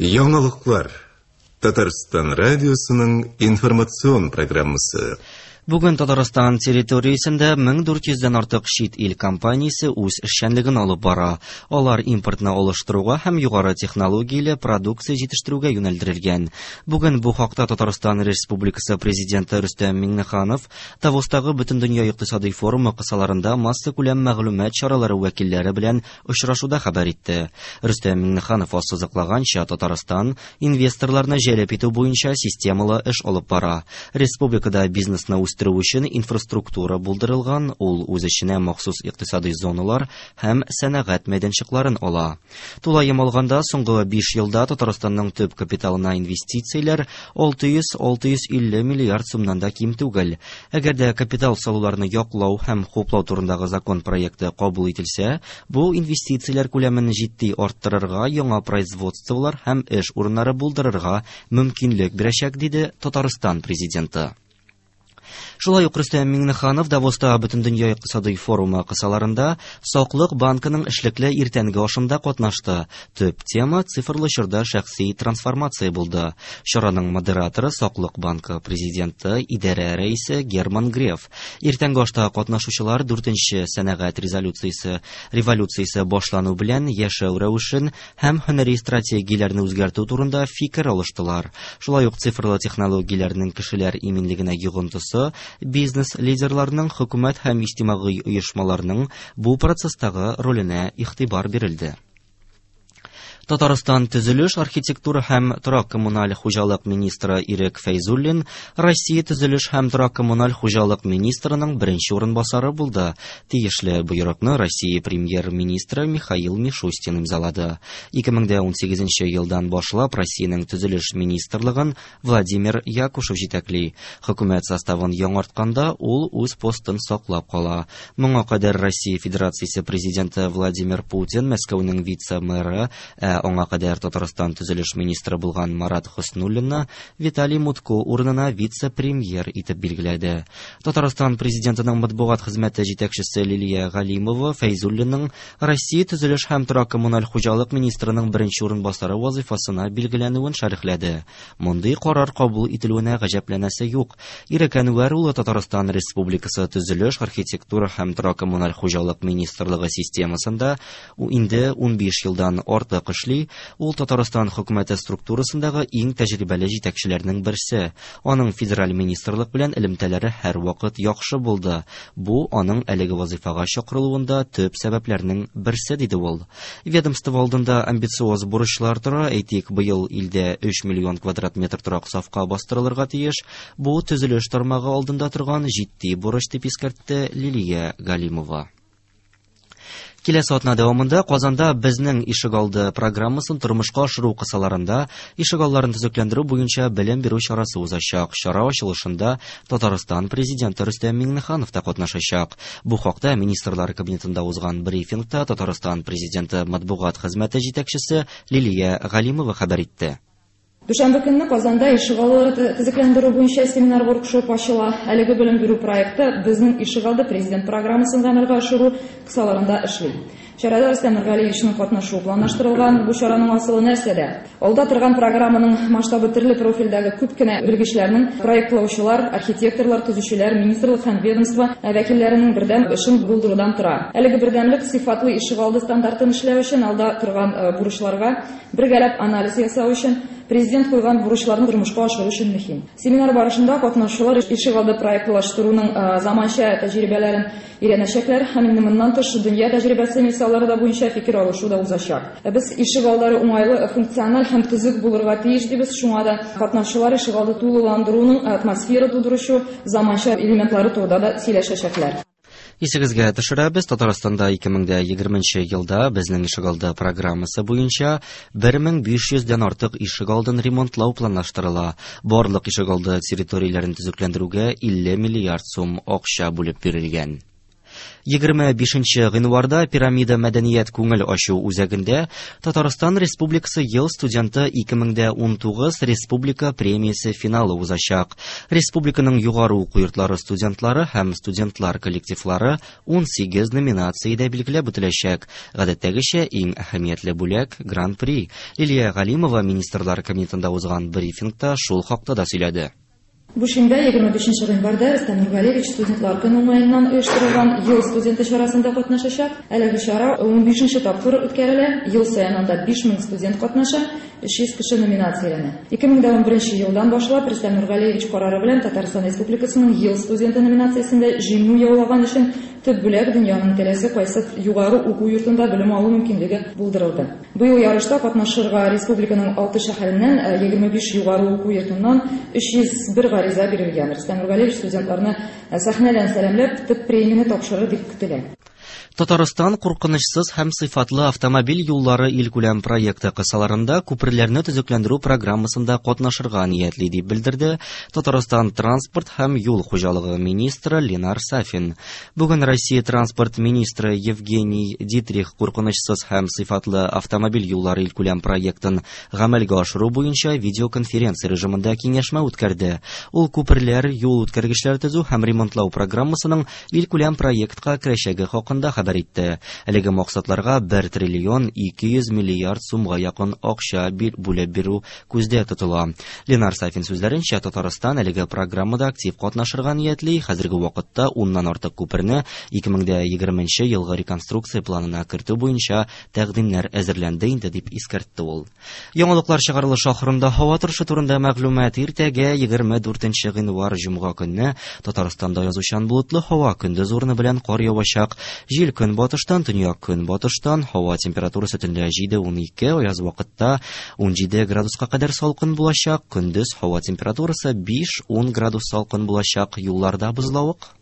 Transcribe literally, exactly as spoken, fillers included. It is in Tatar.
Яңалыклар. Татарстан радиосының информацион программасы. Бүген Татарстан территориясендә мең дүрт йөздән артык чит ил компаниясе үз эшчәнлеген алып бара. Алар импортны алыштыруга һәм югары технологияле продукция җитештерүгә юнәлдерелгән. Бүген бу хакта Татарстан Республикасы Президенты Рөстәм Миңнеханов Давостагы Бөтендөнья икътисади форумы кысаларында массакүләм мәгълүмат чаралары вәкилләре белән очрашуда хәбәр итте. Рөстәм Миңнеханов ассызыклаганча, Татарстан инвесторларны җәлеп итү буенча системалы эш алып бара. Республикада бизнесны үстерү өчен инфраструктура булдырылган, ул үз эченә махсус икътисади зоналар һәм сәнәгать мәйданчыкларын ала. Тулаем алганда, соңгы биш елда Татарстанның төп капиталына инвестицияләр алты йөз алты йөз илле миллиард сумнан да ким түгел. Әгәр дә капитал салуларны яклау һәм хуплау турындагы закон проекты кабул ителсә, бу инвестицияләр күләмен җитди арттырырга, яңа производстволар һәм эш урыннары булдырырга мөмкинлек бирәчәк, диде Татарстан президенты. Шулай ук Рөстәм Миңнеханов Давоста Бөтендөнья икътисади форумы кысаларында Саклык банкының эшлекле иртәнге ашында катнашты. Төп тема цифрлы чорда шәхси трансформация булды. Чараның модераторы Саклык банкы президенты, идарә рәисе Герман Греф. Иртәнге ашта катнашучылар дүртенче сәнәгать резолюциясе революциясе башлану белән яшәү рәвешен һәм һөнәри стратегияләрне үзгәртү турында фикер алыштылар. Шулай ук цифрлы технологияләрнең кешеләр иминлегенә йогынтысы, бизнес лидерларының, хөкүмәт һәм иҗтимагый оешмаларның бу процесстагы роленә игътибар бирелде. Татарстан төзелеш, архитектура һәм торак-коммуналь хуҗалык министры Ирек Фәйзуллин Россия төзелеш һәм торак-коммуналь хуҗалык министрының беренче урынбасары булды. Тиешле боерыкны Россия премьер-министры Михаил Мишустин имзалады. Ике мең дә унсигезенче елдан башлап Россиянең төзелеш министрлыгын Владимир Якушев җитәкли. Хөкүмәт составын яңартканда ул үз постын саклап кала. Моңа кадәр Россия Федерациясе президенты Владимир Путин Мәскәүнең вице-мэры, ә аңа кадәр Татарстан төзелеш министры булган Марат Хөснуллинны Виталий Мутко урынына вице-премьер итеп билгеләде. Татарстан президентының матбугат хезмәте җитәкчесе Лилия Галимова Фәйзуллинның Россия төзелеш һәм торак-коммуналь хуҗалык министрының беренче урынбасары вазифасына билгеләнүен шәрехләде. Мондый карар кабул ителүенә гаҗәпләнәсе юк. Ирек Әнвәр улы Татарстан Республикасы төзелеш, архитектура һәм торак-коммуналь хуҗалык министрлыгы системасында инде унбиш елдан артык эшли. Ул Татарстан хөкүмәте структурасындагы иң тәҗрибәле җитәкчеләрнең берсе. Аның федераль министрлык белән элемтәләре һәрвакыт яхшы булды. Бу аның әлеге вазифага чакырылуында төп сәбәпләрнең берсе, диде ул. Ведомство алдында амбициоз бурычлар тора. Әйтик, быел илдә өч миллион квадрат метр торак сафка бастырылырга тиеш. Бу төзелеш тармагы алдында торган җитди бурыч, дип искәртте Лилия Галимова. Киләсе атна дәвамында Казанда Безнең ишегалды программасын тормышка ашыру кысаларында ишегалларын төзекләндерү буенча белем бирү чарасы узачак. Чара ачылышында Татарстан президенты Рөстәм Миңнеханов та катнашачак. Бу хакта Министрлар кабинетында узган брифингта Татарстан президенты матбугат хезмәте җитәкчесе Лилия Галимова хәбәр итте. Дүшәмбе көнне Казанда ишегаллары төзекләндерү буенча семинар-воркшоп ачыла. Әлеге белем бирү проекты Безнең ишегалды президент программасын гамәлгә ашыру кысаларында эшли. Чарада Рөстәм Нургалиевичның катнашуы планлаштырылган. Бу чараның асылы нәрсәдә? Алда торган программаның масштабы төрле профильдәге күп кенә белгечләрнең, проектлаучылар, архитекторлар, төзүчеләр, министрлык һәм ведомство вәкилләренең бердәм эшен булдырудан тора. Әлеге бердәмлек сыйфатлы ишегалды стандартын эшләү өчен алда торган бурычларга бергәләп анализ ясау өчен президент куйган бурычларны тормышка ашыру өчен мөһим. Семинар барышында катнашучылар ишегалды проектлаштыруның заманча тәҗрибәләрен өйрәнәчәкләр һәм инде моннан тыш дөнья тәҗрибәсе мисаллары да буенча фикер алышу да узачак. Без ишегаллары уңайлы, функциональ һәм төзек булырга тиеш дибез, шуңа да катнашучылар ишегалды тулыландыруның атмосфера тудыручы заманча элементлары турында да сөйләшәчәкләр. Исегезгә төшерәбез, Татарстанда ике мең дә егерменче елда Безнең ишегалды программасы буенча бер мең биш йөздән артык ишегалдын ремонтлау планлаштырыла. Барлык ишегалды территорияләрен төзекләндерүгә илле миллиард сум акча бүлеп бирелгән. Егерме бишенче гыйнварда Пирамида мәдәният күңел ачу үзәгендә Татарстан Республикасы ел студенты ике мең дә унтугыз республика премиясе финалы узачак. Республиканың югары уку йортлары студентлары һәм студентлар коллективлары унсигез номинациядә билгеләп үтеләчәк. Гадәттәгечә иң әһәмиятле бүләк Гран-при. Лилия Галимова Министрлар Кабинетында узган брифингта шул хакта да сөйләде. Бу шимбә егерме бишенче гыйнварда Рөстәм Нургалиевич студентлар көне уңаеннан оештырылган ел студенты чарасында катнашачак. Әлеге чара унбишенче тапкыр үткәрелә. Ел саен анда биш мең студент катнаша, өч йөз кеше номинацияләнә. Ике мең дә унберенче елдан башлап Рөстәм Нургалиевич карары белән Татарстан Республикасының ел студенты номинациясендә җиңү яулаган өчен төп бүләк дөньяның теләсә кайсы югары уку йортында белем алу мөмкинлеге булдырылды. Быел ярышта катнашырга республиканың алты шәһәреннән, э, егерме биш югары уку йортыннан өч йөз бер гариза бирелгән. Рөстәм Нургалиевич студентларны, э, сәхнәдән сәламләп, төп премияне тапшырыр дип көтелә. Татарстан куркынычсыз һәм сыйфатлы автомобиль юллары илкүләм проекты кысаларында күперләрне төзекләндерү программасында катнашырга ниятли, дип белдерде Татарстан транспорт һәм юл хуҗалыгы министры Ленар Сафин. Бүген Россия транспорт министры Евгений Дитрих куркынычсыз һәм сыйфатлы автомобиль юллары илкүләм проектын гамәлгә ашыру буенча видеоконференция режимында киңәшмә үткәрде. Ул күперләр, юл үткәргечләр төзү һәм ремонтлау программасының илкүләм проектка керәчәге хакында хәбәр итте. Әлеге максатларга бер триллион ике йөз миллиард сумга якын акча бүлеп бирү күздә тотыла. Ленар Сафин сүзләренчә, Татарстан әлеге программада актив катнашырга ниятли. Хәзерге вакытта уннан артык күперне ике мең дә егерменче елгы реконструкция планына кертү буенча тәкъдимнәр әзерләнде инде, дип искәртте ул. Яңалыклар чыгарылышы ахырында һава торышы турында мәгълүмат. Иртәгә егерме дүртенче гыйнвар җомга көнне Татарстанда язучан болытлы һава, көндез урыны белән кар явачак. Җил көнбатыштан, төньяк көнбатыштан, һава температурасы төнлә җиде унике, аяз вакытта унҗиде градуска кадәр салкын булачак. Көндез һава температурасы биш ун градус салкын булачак. Юлларда бозлавык.